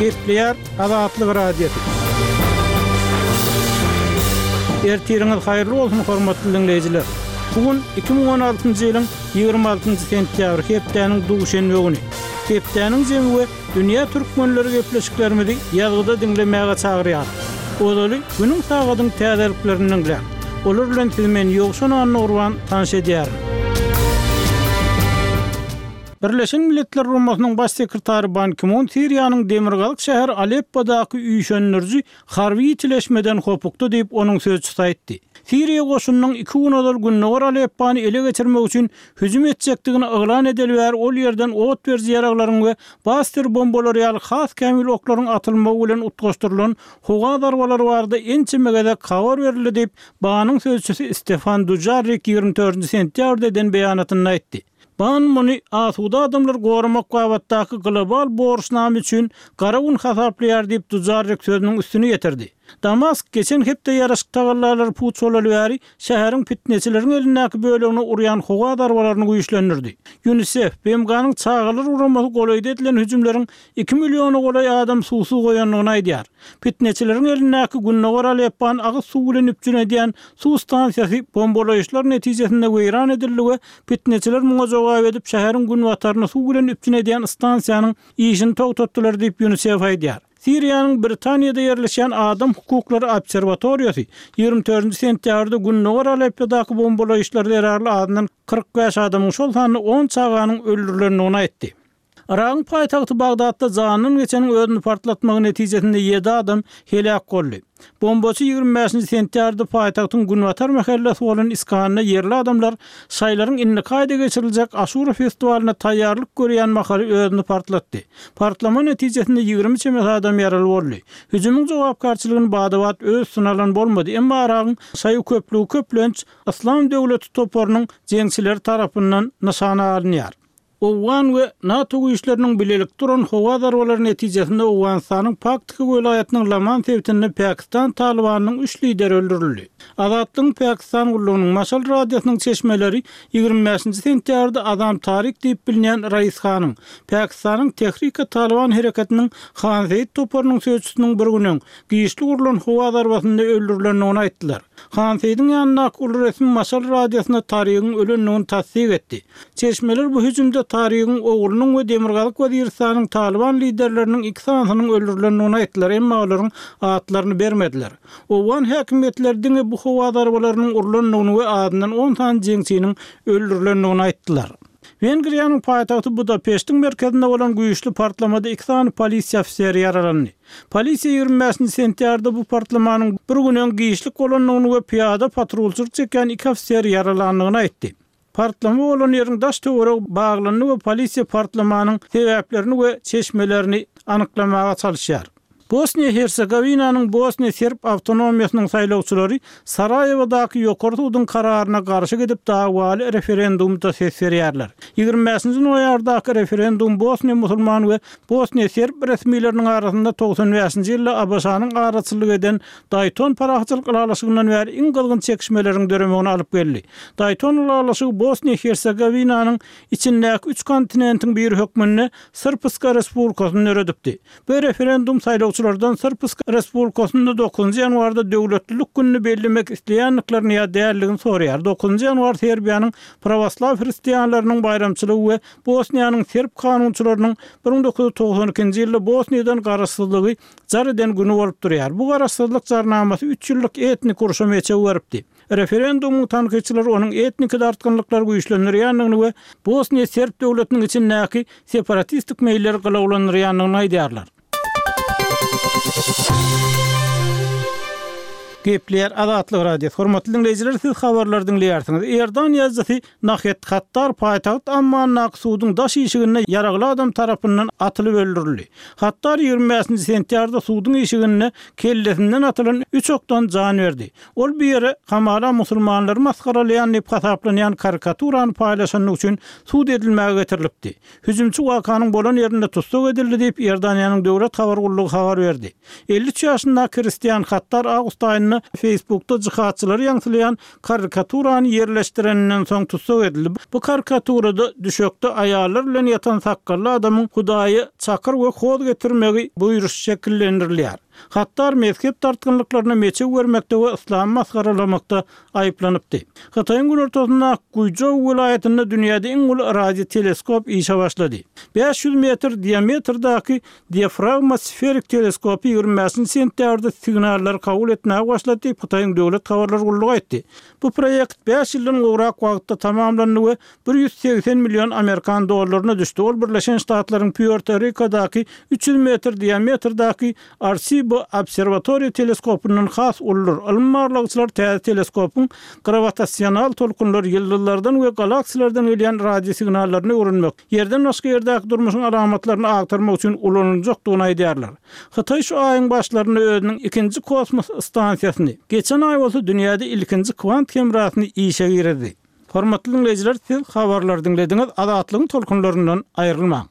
Gepleýär Azatlyk Radiosy. Ertiriňiz haýyrly bolsun, hormatly diňleýjiler! Bu gün 2016-njy ýylyň 26-njy sentýabry, hepdäniň duşenbe güni. Hepdäniň jemi we dünýä türkmenleri gepleşiklerimizi ýazgyda diňlemäge çagyrýarys. Ozaly günüň sagadyň täzeliklerini diňläň. Olar bilen sizi men Ýowşan Annagurban tanyş edýärin. Birleşen Milletler Guramasynyň Baş sekretary Ban Ki-mun Siriýanyň demirgazyk şäheri Aleppodaky üýşendiriji harby ýitileşmeden hopukdy diýip, onuň sözçüsi aýtdy. Siriýa goşunynyň iki gün ozal gündogar Aleppony ele geçirmek üçin hüjüm etjekdigini yglan edeli bäri ol ýerden ot beriji ýaraglaryň we baster bombalary ýaly has kämil oklaryň atylmagy bilen utgaşdyrylan howa zarbalary barada ençeme gezek habar berildi diýip, BAE-niň sözçüsi Stefan Dujarrik 24-nji sentýabrda eden beýanatynda aýtdy. Ban muny asuda adamlary goramak babatdaky global borçnama üçin gara gün hasaplaýar diýip, Dujarrik sözüniň üstüni ýetirdi. Damask geçen hepde ýaraşyk tagallalary puç bolaly bäri şäheriň pitneçileriň elindäki bölegine urýan howa zarbalaryny güýçlendirdi. Ýunisef, BMG-niň çagalar guramasy golaýda edilen hüjümleriň iki milliona golaý adam suwsuz goýandygyny aýdýar. Pitneçileriň elindäki gündogar Aleppany agyz suwy bilen üpjün edýän suw stansiýasy bombalaýyşlar netijesinde weýran edildi we pitneçiler muňa jogap edip şäheriň günbataryny suw bilen üpjün edýän stansiýanyň işini togtatdylar diýip Ýunisef aýdýar. Siriýanyň Britaniýada ýerleşýän Adam hukuklary obserwatoriýasy 24 sentýabrda gündogar Aleppodaky bombalaýyşlar zerarly azyndan 45 adamyň, şol sanda on çaganyň öldürilendigini aýtdy. Yragyň paýtagty Bagdatda janyndan geçeniň özüni partlatmagy netijesinde ýedi adam heläk boldy. Bombaçy 25 sentýabrda paýtagtyň günbatar mähellesi bolan Iskanda ýerli adamlar şaýlaryň indiki aýda geçiriljek Aşura festiwalyna taýýarlyk görýän mahaly özüni partlatdy. Partlama netijesinde 20 çemesi adam ýaraly boldy. Hüjümiň jogapkärçiligini bada-bat öz üstüne alan bolmady, emma Yragyň şaýy köplügi köplenç Yslam döwleti toparynyň jeňçileri tarapyndan nyşana alynýar. Owgan we NATO güýçleriniň bilelikde uran howa zarbalary netijesinde Owganystanyň Paktika welaýatynyň Laman sebitinde Pakistan Talybanynyň üç lideri öldürildi. Azatlygyň Pakistan gullugynyň Maşal radiosynyň çeşmeleri 25-nji sentýabrda Azam Tarik diýip bilinýän Rais Hanyň, Pakistanyň Tehrika-Talyban hereketiniň Han Seýit toparynyň sözçüsiniň bir gün öň, giçlik urlan howa zarbasynda öldürilendigini aýtdylar. Han Seýidiň ýanyndaky uly resmi Maşal radiosyna Tarigiň ölendigini tassyk etdi. Çeşmeler bu hüjümde Tarigiň oglunyň we Demirgazyk Weziristanyň Talyban liderleriniň iki sanysynyň öldürilendigini aýtdylar, emma olaryň atlaryny bermediler. Owgan häkimiýetleri diňe bu howa zarbalarynyň urlandygyny we azyndan on sany jeňçiniň öldürilendigini aýtdylar. Wengriýanyň paýtagty Budapeştiň merkezinde bolan güýçli partlamada iki sany polisiýa ofiseri ýaralandy. Polisiýa 25-nji sentýabrda bu partlamanyň bir gün öň giçlik bolandygyny we pyýada patrulçylyk çekýän iki ofiseri ýaralandygyny aýtdy. Partlama bolan ýeriň daş-töweregi baglandy we polisiýa partlamanyň sebäplerini we çeşmelerini anyklamaga çalyşýar. Bosniýa-Hersegowinanyň Bosniýa serb awtonomiýasynyň saýlawçylary Saraýewadaky Ýokary suduň kararyna garşy gidip dawaly referendumda ses berýärler. 25-nji noýabrdaky referendum bosniýa musulman we bosniýa serb resmileriniň arasynda 95-nji ýylda ABŞ-nyň araçylyk eden Daýton parahatçylyk ylalaşygyndan bäri iň gyzgyn çekişmeleriň döremegine alyp geldi. Daýton ylalaşygy Bosniýa-Hersegowinanyň içindäki üç kontinentiň biri hökmünde Srpska Respublikasyny döredipdi. Bu referendum saýlawçylardan Srpska Respublikasynda dokuzynjy ýanwarda döwletlilik gününi bellemek isleýändiklerini ýa däldigini soraýar. Dokuzynjy ýanwar Serbiýanyň prawoslaw hristianlarynyň baýramçylygy we Bosniýanyň serb kanunçylarynyň 1992-nji ýylda Bosniýadan garaşsyzlygy jar eden güni bolup durýar. Bu garaşsyzlyk jarnamasy üç ýyllyk etnik urşa meçew beripdi. Referendumyň tankytçylary onuň etniki dartgynlyklary güýçlendirýändigini we Bosniýa serb döwletiniň içindäki separatistik meýilleri gylawlandyrýandygyny aýdýarlar. Gepleýär Azatlyk Radiosy. Hormatly diňleýjiler, siz habarlary diňleýärsiňiz. Iordan ýazyjysy Nahed Hattar paýtagt Ammandaky suduň daş işiginde ýaragly adam tarapyndan atylyp öldürildi. Hattar 25-nji sentýabrda suduň işiginde kellesinden atylan üç okdan jan berdi. Ol bu ýere hamala musulmanlary masgaralaýan diýip hasaplanýan karikaturany paýlaşandygy üçin sud edilmäge getirilipdi. Hüjümçi wakanyň bolan ýerinde tussag edildi diýip, Iordaniýanyň döwlet habar gullugy habar berdi. 53 ýaşyndaky Hristian Hattar awgust aýynda. aýynda Facebookda jihadçylary ýaňsylaýan karikaturany ýerleşdireninden soň tussag edildi. Bu karikaturada düşekde aýallar bilen ýatan sakgally adamyň Hudaýa çakyr we hoz getirmegi buýruşy şekillendirilýär. Hattar mezhep dartgynlyklaryna meçew bermekde we yslamy masgaralamakda aýyplanypdy. Hytaýyň günortasyndaky Guýžou welaýatynda dünýäde iň uly radioteleskop işe başlady. 500 metr diametrdaky diafragma sferik teleskopy 25-nji sentýabrda signallary kabul etmäge başlady diýip, Hytaýyň döwlet habarlar gullugy aýtdy. Bu proýekt bäş ýyldan gowrak wagtda tamamlandy we 180 million amerikan dollaryna düşdi. Ol Birleşen Ştatlaryň Pýuerto-Rikadaky 300 metr diametrdaky Arsibo obserwatoriýa teleskopyndan has uludyr. Ylmy barlagçylar täze teleskopyň grawitasional tolkunlar, ýyldyzlardan we galaksiýalardan gelýän radiosignallaryny öwrenmek, Ýerden başga ýerdäki durmuşyň alamatlaryny agtarmak üçin ulanyljakdygyny aýdýarlar. Hytaý şu aýyň başlarynda özüniň ikinji kosmos stansiýasyny, geçen aý bolsa dünýäde ilkinji kwant hemrasyny işe girizdi. Hormatly diňleýjiler, siz habarlary diňlediňiz, Azatlygyň tolkunlaryndan aýrylmaň!